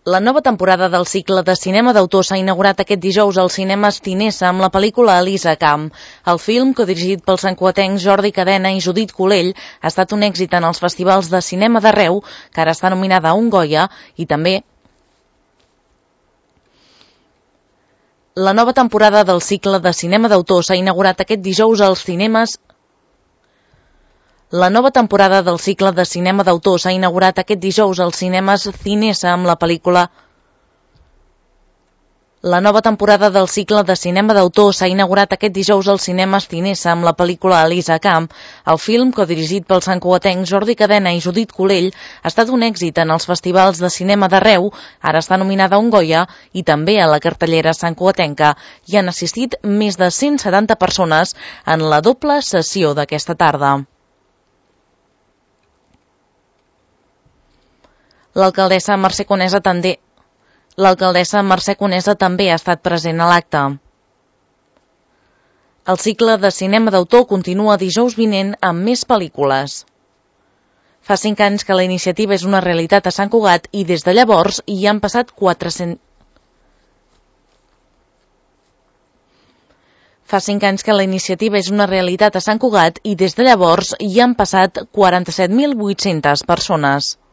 La nova temporada del cicle de cinema d'autor s'ha inaugurat aquest dijous als cinemes Cinesa amb la pel·lícula Elisa Camp. El film, codirigit pels santcugatencs Jordi Cadena i Judit Colell, ha estat un èxit en els festivals de cinema d'arreu, que ara està nominada a un Goya, i també la nova temporada del cicle de cinema d'autor s'ha inaugurat aquest dijous als cinemes La nova temporada del cicle de cinema d'autor s'ha inaugurat aquest dijous als cinemes Cinesa amb la pel·lícula La nova temporada del cicle de cinema d'autor s'ha inaugurat aquest dijous als cinemes Cinesa amb la pel·lícula Elisa Camp. El film, codirigit pels santcugatencs Jordi Cadena i Judit Colell, ha estat un èxit en els festivals de cinema d'arreu, ara està nominada a un Goya, i també a la cartellera santcugatenca. Hi han assistit més de 170 persones en la doble sessió d'aquesta tarda. L'alcaldessa Mercè Conesa també ha estat present a l'acte. El cicle de cinema d'autor continua dijous vinent amb més pel·lícules. Fa 5 anys que la iniciativa és una realitat a Sant Cugat i des de llavors hi han passat 47.800 persones.